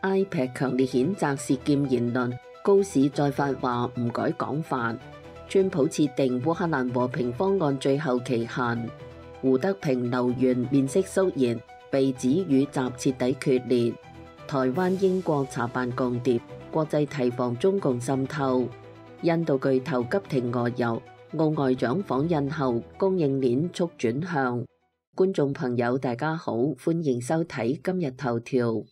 ，iPad 強烈譴責涉劍言論，高市再發話唔改講法。川普設定烏克蘭和平方案最後期限。胡德平留言面色肅然，被指與習徹底決裂。台灣英國查辦共諜，國際提防中共滲透。印度巨頭急停俄油，澳外長訪印後供應鏈速轉向。觀眾朋友大家好，歡迎收睇今日頭條。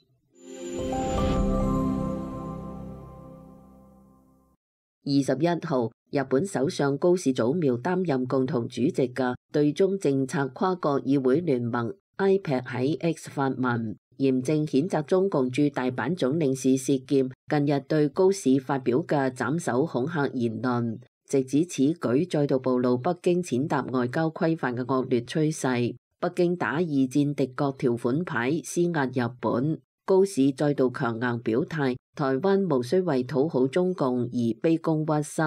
21號，日本首相高市早苗擔任共同主席嘅對中政策跨國議會聯盟 IPAC 喺 X 發文，嚴正譴責中共駐大阪總領事薛劍近日對高市發表嘅斬首恐嚇言論，直指此舉再度暴露北京踐踏外交規範嘅惡劣趨勢。北京打二戰敵國條款牌施壓日本。高市再度強硬表態，台灣無需為討好中共而卑躬屈膝。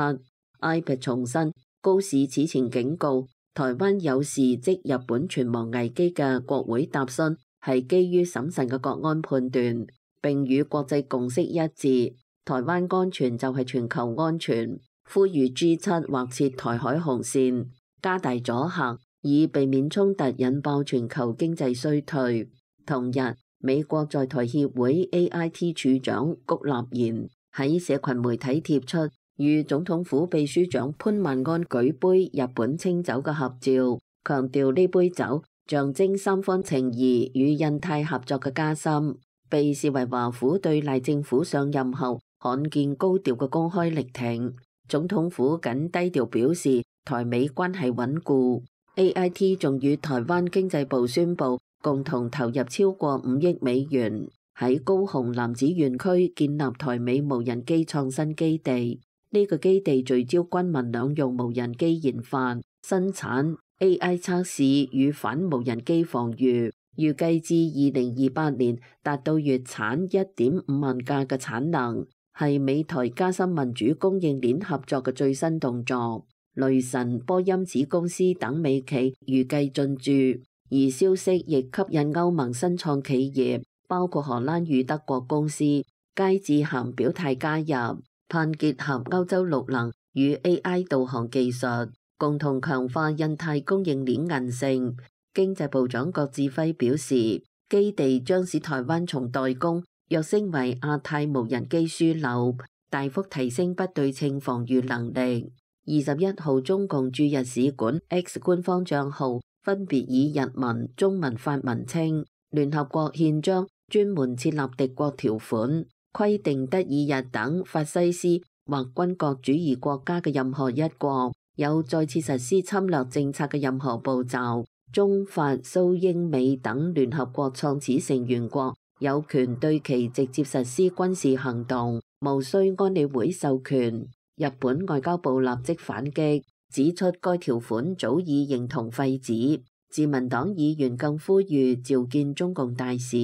iPad 重申，高市此前警告台灣有事即日本存亡危機嘅國會答詢係基於審慎嘅國安判斷，並與國際共識一致。台灣安全就係全球安全，呼籲 G7 劃設台海紅線，加大阻嚇，以避免衝突引爆全球經濟衰退。同日，美國在台協會 AIT 處長谷立言喺社群媒體貼出與總統府秘書長潘萬安舉杯日本清酒嘅合照，強調呢杯酒象徵三方情誼與印太合作嘅加深，被視為華府對賴政府上任後罕見高調嘅公開力挺。總統府僅低調表示台美關係穩固。AIT 仲與台灣經濟部宣布共同投入超過5億美元，喺高雄楠梓園區建立台美無人機創新基地。呢個基地聚焦軍民兩用無人機研發、生產、AI 測試與反無人機防禦，預計至2028年達到月產1.5萬架嘅產能，係美台加深民主供應鏈合作嘅最新動作。雷神、波音子公司等美企預計進駐。而消息亦吸引歐盟新創企業，包括荷蘭與德國公司，皆致函表態加入，盼結合歐洲綠能與 AI 導航技術，共同強化印太供應鏈韌性。經濟部長郭志輝表示，基地將使台灣從代工躍升為亞太無人機樞紐，大幅提升不對稱防禦能力。21號，中共駐日使館 X 官方帳號分別以日文、中文、法文稱，聯合國憲章專門設立敵國條款，規定德、意、日等法西斯或軍國主義國家嘅任何一國有再次實施侵略政策嘅任何步驟，中法蘇英美等聯合國創始成員國有權對其直接實施軍事行動，無需安理會授權。日本外交部立即反擊，指出該條款早已形同廢紙。自民黨議員更呼籲召見中共大使。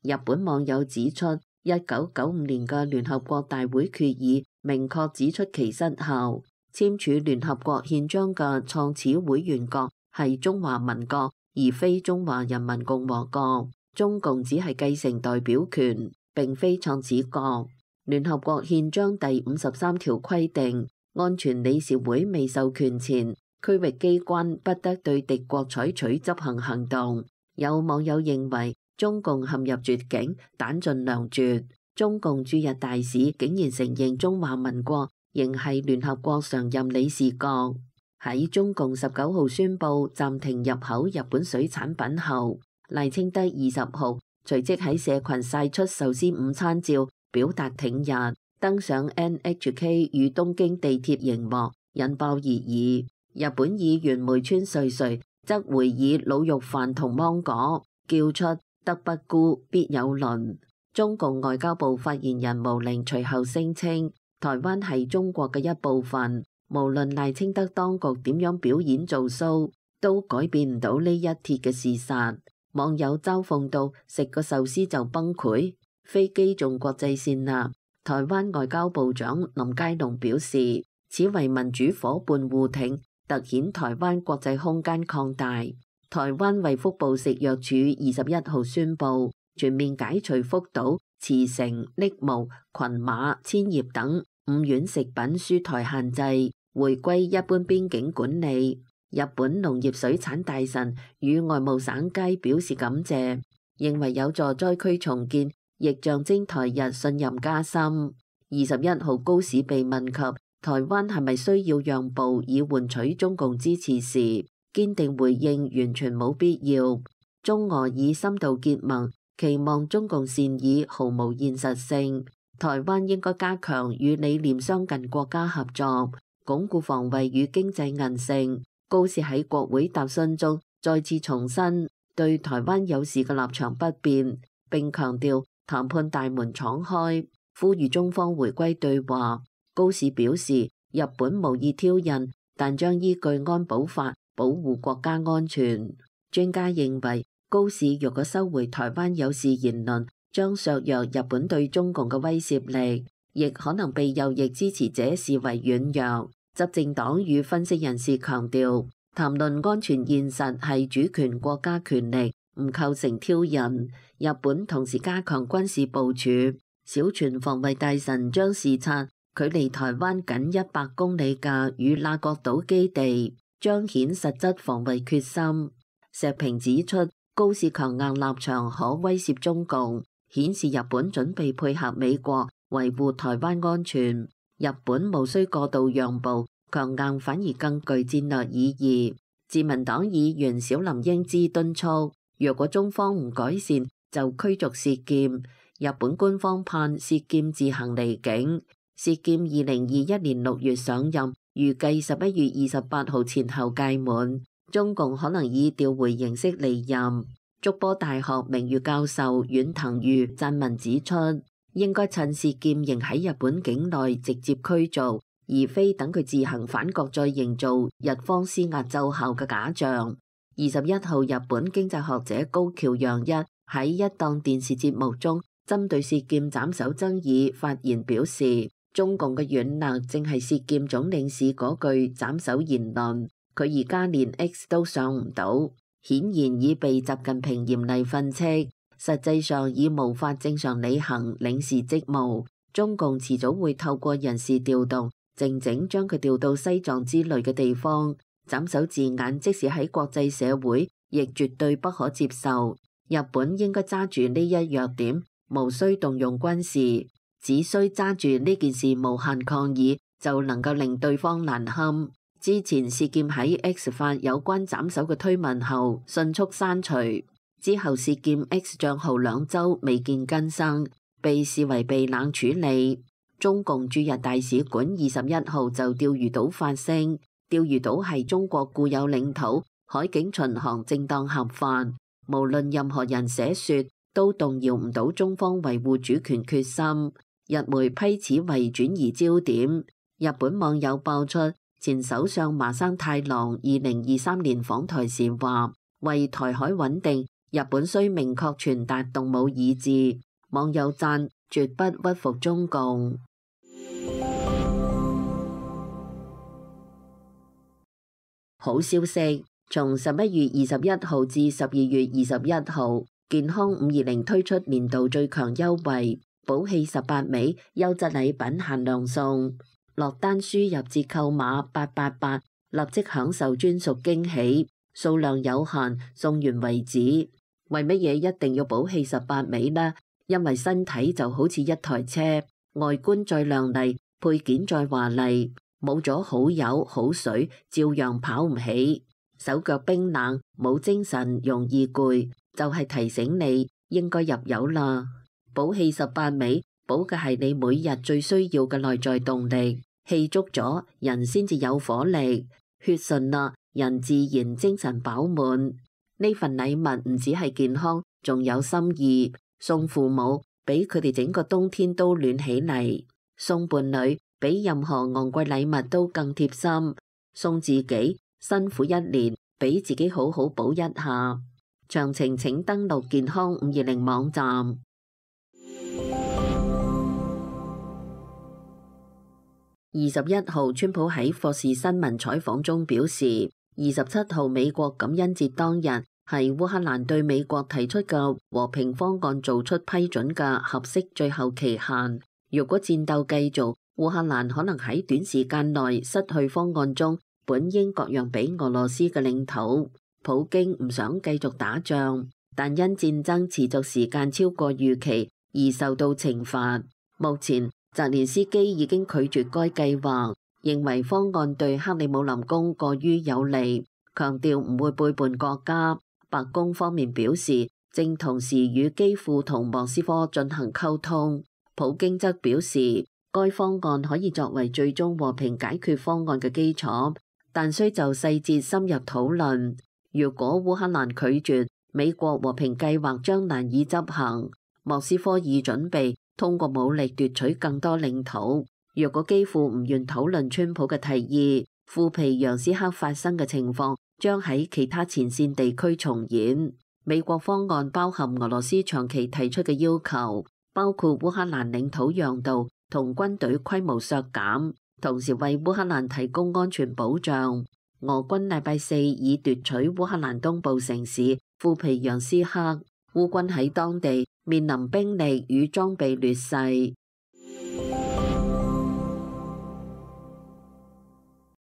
日本網友指出，1995年嘅聯合國大會決議明確指出其失效。簽署聯合國憲章嘅創始會員國係中華民國，而非中華人民共和國。中共只係繼承代表權，並非創始國。聯合國憲章第53條規定，安全理事會未授權前，區域機關不得對敵國採取執行行動。有網友認為中共陷入絕境，彈盡糧絕。中共駐日大使竟然承認中華民國仍係聯合國常任理事國。喺中共19號宣布暫停入口日本水產品後，賴清德20號隨即喺社群晒出壽司午餐照，表達挺日，登上 NHK 與東京地鐵熒幕，引爆熱議。日本議員梅川瑞穗則回以滷肉飯同芒果，叫出德不孤必有鄰。中共外交部發言人毛寧隨後聲稱，台灣係中國嘅一部分，無論賴清德當局點樣表演做 show， 都改變唔到呢一鐵嘅事實。網友嘲諷到食個壽司就崩潰，飛機仲國際線啦。台灣外交部長林佳龍表示，此為民主夥伴互挺，凸顯台灣國際空間擴大。台灣衛福部食藥署21號宣布，全面解除福島、茨城、栃木、群馬、千葉等5縣食品輸台限制，回歸一般邊境管理。日本農業水產大臣與外務省皆表示感謝，認為有助災區重建，亦象徵台日信任加深。21號高市被問及台灣係咪需要讓步以換取中共支持時，堅定回應完全冇必要。中俄以深度結盟，期望中共善意毫無現實性。台灣應該加強與理念相近國家合作，鞏固防衛與經濟韌性。高市喺國會答詢中再次重申對台灣有事嘅立場不變，並強調談判大門敞開，呼籲中方回歸對話。高市表示，日本無意挑釁，但將依據安保法保護國家安全。專家認為，高市若果收回台灣有事言論，將削弱日本對中共嘅威懾力，亦可能被右翼支持者視為軟弱。執政黨與分析人士強調，談論安全現實係主權國家權力，唔構成挑釁。日本同時加強軍事部署，小泉防衛大臣將視察距離台灣僅100公里嘅與那國島基地，彰顯實質防衛決心。石平指出，高市強硬立場可威懾中共，顯示日本準備配合美國維護台灣安全。日本無需過度讓步，強硬反而更具戰略意義。自民黨議員小林英之敦促，若果中方唔改善，就驅逐薛劍。日本官方盼薛劍自行離境。薛劍2021年6月上任，預計11月28號前後屆滿。中共可能以調回形式離任。筑波大學名譽教授阮騰裕撰文指出，應該趁薛劍仍喺日本境內直接驅逐，而非等佢自行返國再營造日方施壓奏效嘅假象。21號，日本經濟學者高橋陽一喺一檔電視節目中，針對薛劍斬首爭議發言表示，中共嘅軟肋正係薛劍總領事嗰句斬首言論，佢而家連 X 都上唔到，顯然已被習近平嚴厲訓斥。實際上已無法正常履行領事職務，中共遲早會透過人事調動，靜靜將佢調到西藏之類嘅地方。斬首字眼即使喺國際社會，亦絕對不可接受。日本應該揸住呢一弱點，無需動用軍事，只需揸住呢件事無限抗議，就能夠令對方難堪。之前薛劍喺 X 發有關斬首嘅推文後，迅速刪除。之後薛劍 X 賬號2週未見更新，被視為被冷處理。中共駐日大使館21號就釣魚島發聲，釣魚島係中國固有領土，海警巡航正當合法，無論任何人寫說都動搖唔到中方維護主權決心。日媒批此為轉移焦點。日本網友爆出前首相麻生太郎2023年訪台時話，為台海穩定，日本需明確傳達動武意志。網友讚絕不屈服中共。好消息，從11月21號至12月21號，健康520推出年度最強優惠，寶氣18味優質禮品限量送，落單輸入折扣碼888，立即享受專屬驚喜，數量有限，送完為止。為乜嘢一定要寶氣18味呢？因為身體就好似一台車，外觀再亮麗，配件再華麗，冇咗好油好水，照樣跑唔起。手腳冰冷，冇精神，容易攰，就係提醒你應該入油啦。寶氣18味，補嘅係你每日最需要嘅內在動力，氣足咗，人先至有火力，血順啦，人自然精神飽滿。呢份禮物唔止係健康，仲有心意。送父母，俾佢哋整個冬天都暖起嚟；送伴侶，比任何昂貴禮物都更貼心；送自己，辛苦一年，俾自己好好補一下。詳情請登錄健康520網站。21號，川普喺霍士新聞採訪中表示，27號美國感恩節當日，係烏克蘭對美國提出嘅和平方案做出批准嘅合適最後期限。如果戰鬥繼續，烏克蘭可能喺短時間內失去方案中本應割讓俾俄羅斯嘅領土。普京唔想繼續打仗，但因戰爭持續時間超過預期而受到懲罰。目前澤連斯基已經拒絕該計劃，認為方案對克里姆林宮過於有利，強調唔會背叛國家。白宮方面表示，正同時與基輔同莫斯科進行溝通。普京則表示，該方案可以作為最終和平解決方案嘅基礎，但需就細節深入討論。如果烏克蘭拒絕，美國和平計劃將難以執行。莫斯科已準備通過武力奪取更多領土。若果基輔唔願討論川普嘅提議，庫皮揚斯克發生嘅情況將喺其他前線地區重演。美國方案包含俄羅斯長期提出嘅要求，包括烏克蘭領土讓渡同軍隊規模削減，同時為烏克蘭提供安全保障。俄軍禮拜四已奪取烏克蘭東部城市庫皮揚斯克，烏軍喺當地面臨兵力與裝備劣勢。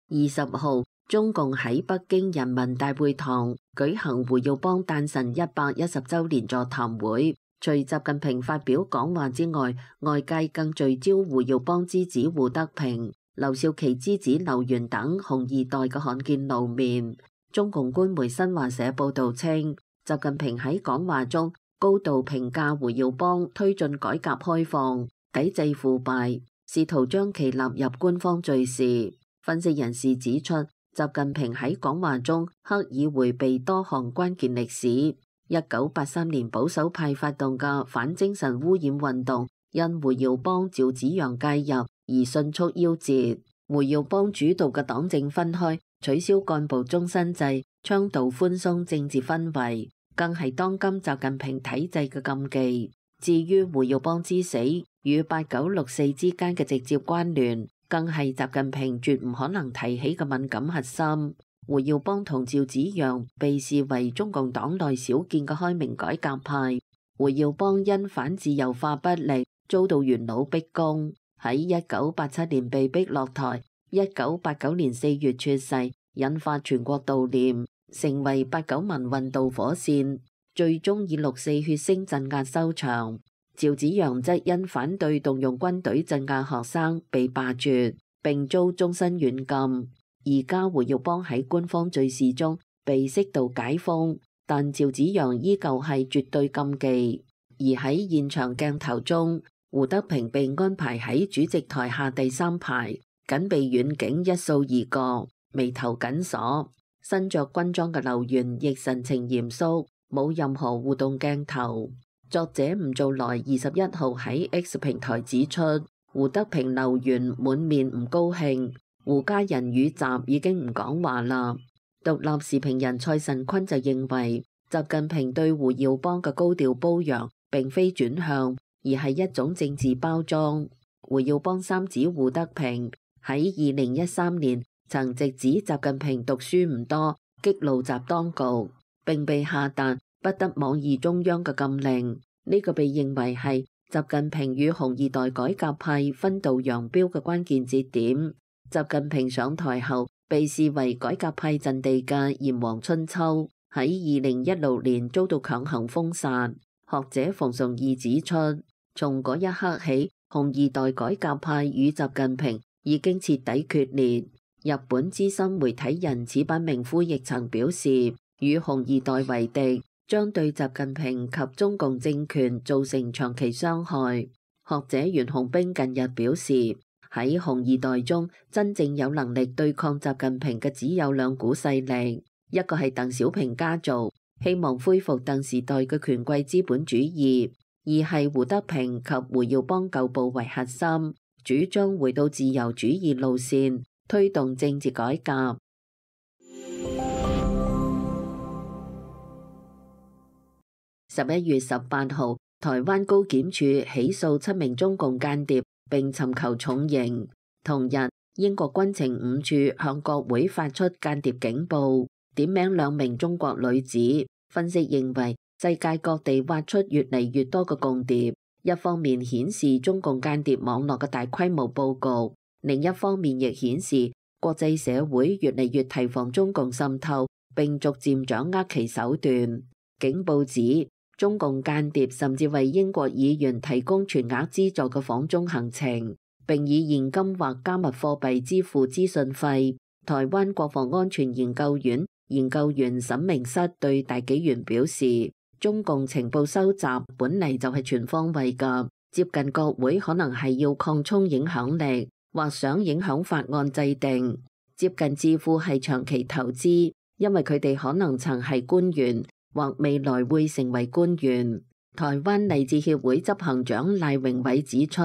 20號，中共喺北京人民大會堂舉行胡耀邦誕辰110週年座談會。除習近平發表講話之外，外界更聚焦胡耀邦之子胡德平、劉少奇之子劉源等紅二代嘅罕見露面。中共官媒新華社報導稱，習近平喺講話中高度評價胡耀邦推進改革開放、抵制腐敗，試圖將其納入官方敘事。分析人士指出，習近平喺講話中刻意迴避多項關鍵歷史。1983年保守派發動嘅反精神污染運動，因胡耀邦、趙紫陽介入而迅速夭折。胡耀邦主導嘅黨政分開，取消幹部終身制，倡導寬鬆政治氛圍，更係當今習近平體制嘅禁忌。至於胡耀邦之死與8964之間嘅直接關聯，更係習近平絕唔可能提起嘅敏感核心。胡耀邦同趙紫陽被視為中共黨內少見嘅開明改革派。胡耀邦因反自由化不力，遭到元老逼宮，喺1987年被逼落台，1989年4月猝逝，引發全國悼念，成為89民運導火線，最終以6.4血腥鎮壓收場。趙紫陽則因反對動用軍隊鎮壓學生被罷黜，並遭終身軟禁。而家胡耀邦喺官方敘事中被適度解封，但趙紫陽依舊係絕對禁忌。而喺現場鏡頭中，胡德平被安排喺主席台下第3排，緊避遠景一掃而過，眉頭緊鎖。身着軍裝嘅劉源亦神情嚴肅，冇任何互動鏡頭。作者吳造來21號喺 X 平台指出，胡德平、劉源滿面唔高興。胡家人與習已經唔講話啦。獨立時評人蔡慎坤就認為，習近平對胡耀邦嘅高調褒揚並非轉向，而係一種政治包裝。胡耀邦三子胡德平喺2013年曾直指習近平讀書唔多，激怒習當局，並被下達不得妄議中央嘅禁令。呢個被認為係習近平與紅二代改革派分道揚鑣嘅關鍵節點。習近平上台後，被視為改革派陣地嘅炎黃春秋，喺2016年遭到強行封殺。學者馮崇義指出，從嗰一刻起，紅二代改革派與習近平已經徹底決裂。日本資深媒體人矢板明夫亦曾表示，與紅二代為敵，將對習近平及中共政權造成長期傷害。學者袁洪兵近日表示，喺紅二代中，真正有能力對抗習近平嘅只有兩股勢力，一個係鄧小平家族，希望恢復鄧時代嘅權貴資本主義；二係胡德平及胡耀邦舊部為核心，主張回到自由主義路線，推動政治改革。11月18號，台灣高檢署起訴7名中共間諜，並尋求重刑。同日，英國軍情5處向國會發出間諜警報，點名2名中國女子，分析認為，世界各地挖出越嚟越多嘅共諜，一方面顯示中共間諜網絡嘅大規模佈局，另一方面亦顯示國際社會越嚟越提防中共滲透，並逐漸掌握其手段。警報指，中共間諜甚至為英國議員提供全額資助嘅訪中行程，並以現金或加密貨幣支付資訊費。台灣國防安全研究院研究員沈明室對大紀元表示，中共情報收集本嚟就係全方位㗎，接近國會可能係要擴充影響力，或想影響法案制定；接近智庫係長期投資，因為佢哋可能曾係官員，或未來會成為官員。台灣勵志協會執行長賴榮偉指出，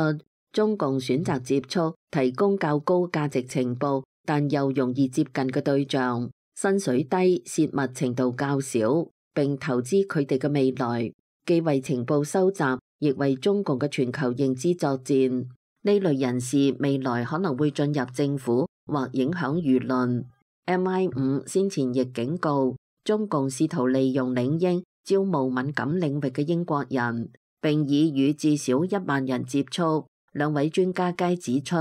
中共選擇接觸提供較高價值情報，但又容易接近嘅對象，薪水低、泄密程度較少，並投資佢哋嘅未來，既為情報收集，亦為中共嘅全球認知作戰。呢類人士未來可能會進入政府或影響輿論。MI5先前亦警告，中共試圖利用領英招募敏感領域嘅英國人，並已與至少1萬人接觸。兩位專家皆指出，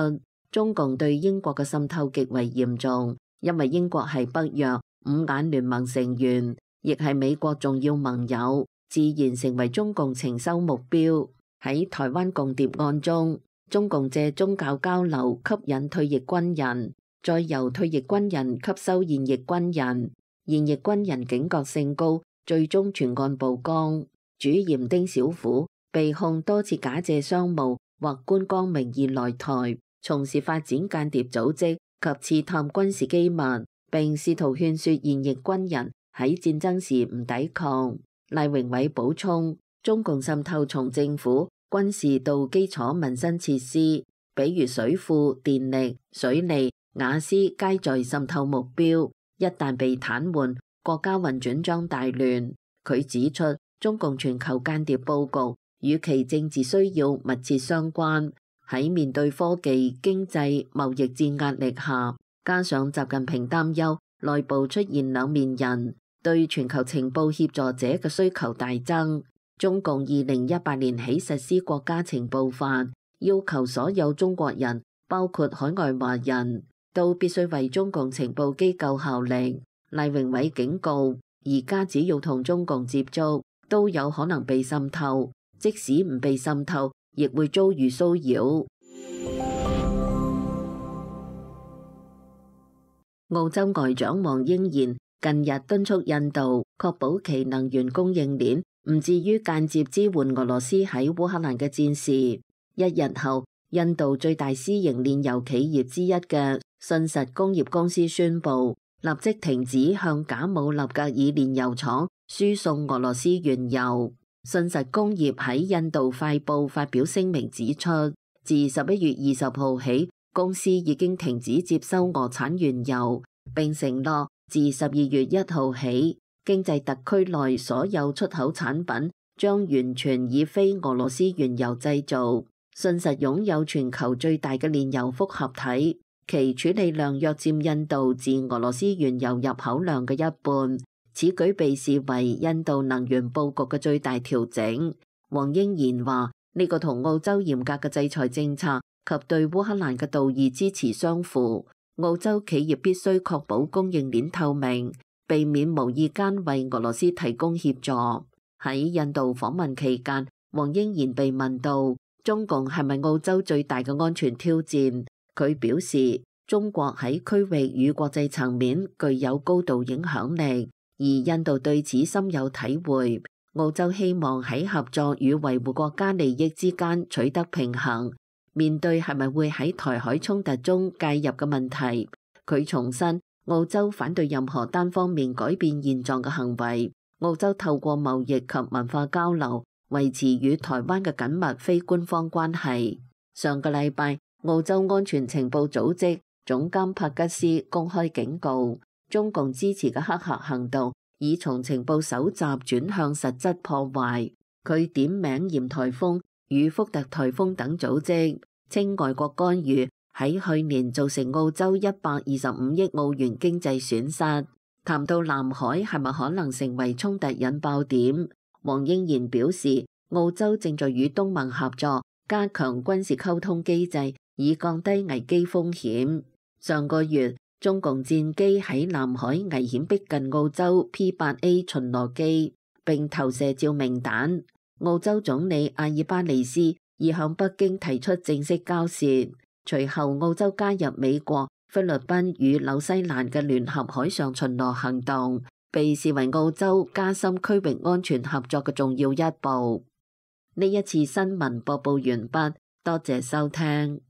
中共對英國嘅滲透極為嚴重，因為英國係北約五眼聯盟成員，亦係美國重要盟友，自然成為中共情修目標。喺台灣共諜案中，中共借宗教交流吸引退役軍人，再由退役軍人吸收現役軍人，現役軍人警覺性高，最終全案曝光。主嫌丁小虎被控多次假借商務或觀光名義來台，從事發展間諜組織及刺探軍事機密，並試圖勸說現役軍人喺戰爭時唔抵抗。賴榮偉補充，中共滲透從政府、軍事到基礎民生設施，比如水庫、電力、水利、瓦斯皆在滲透目標。一旦被癱瘓，國家運轉將大亂。佢指出，中共全球間諜佈局與其政治需要密切相關，喺面對科技、經濟、貿易戰壓力下，加上習近平擔憂內部出現兩面人，對全球情報協助者嘅需求大增。中共2018年起實施國家情報法，要求所有中國人，包括海外華人，都必須為中共情報機構效力。賴榮偉警告，而家只要同中共接觸，都有可能被滲透。即使唔被滲透，亦會遭遇騷擾。澳洲外長黃英賢近日敦促印度確保其能源供應鏈唔至於間接支援俄羅斯喺烏克蘭嘅戰事。一日後，印度最大私營煉油企業之一嘅信實工業公司宣布，立即停止向賈姆納格爾煉油廠輸送俄羅斯原油。信實工業喺印度快報發表聲明指出，自11月20號起，公司已經停止接收俄產原油，並承諾自12月1號起，經濟特區內所有出口產品將完全以非俄羅斯原油製造。信實擁有全球最大嘅煉油複合體，其處理量約佔印度自俄羅斯原油入口量嘅一半。此舉被視為印度能源佈局嘅最大調整。黃英賢話：呢個同澳洲嚴格嘅制裁政策及對烏克蘭嘅道義支持相符。澳洲企業必須確保供應鏈透明，避免無意間為俄羅斯提供協助。喺印度訪問期間，黃英賢被問到中共係咪澳洲最大嘅安全挑戰，佢表示中國喺區域與國際層面具有高度影響力。而印度對此深有體會，澳洲希望喺合作與維護國家利益之間取得平衡。面對係咪會喺台海衝突中介入嘅問題，佢重申澳洲反對任何單方面改變現狀嘅行為。澳洲透過貿易及文化交流，維持與台灣嘅緊密非官方關係。上個禮拜，澳洲安全情報組織總監帕吉斯公開警告，中共支持嘅黑客行動已從情報搜集轉向實質破壞。佢點名嚴颱風與福特颱風等組織，稱外國干預喺去年造成澳洲125億澳元經濟損失。談到南海係咪可能成為衝突引爆點，黃英賢表示，澳洲正在與東盟合作，加強軍事溝通機制，以降低危機風險。上個月，中共戰機喺南海危險逼近澳洲 P-8A 巡邏機，並投射照明彈。澳洲總理阿爾巴尼斯已向北京提出正式交涉。隨後，澳洲加入美國、菲律賓與紐西蘭嘅聯合海上巡邏行動，被視為澳洲加深區域安全合作嘅重要一步。呢一次新聞播報完畢，多謝收聽。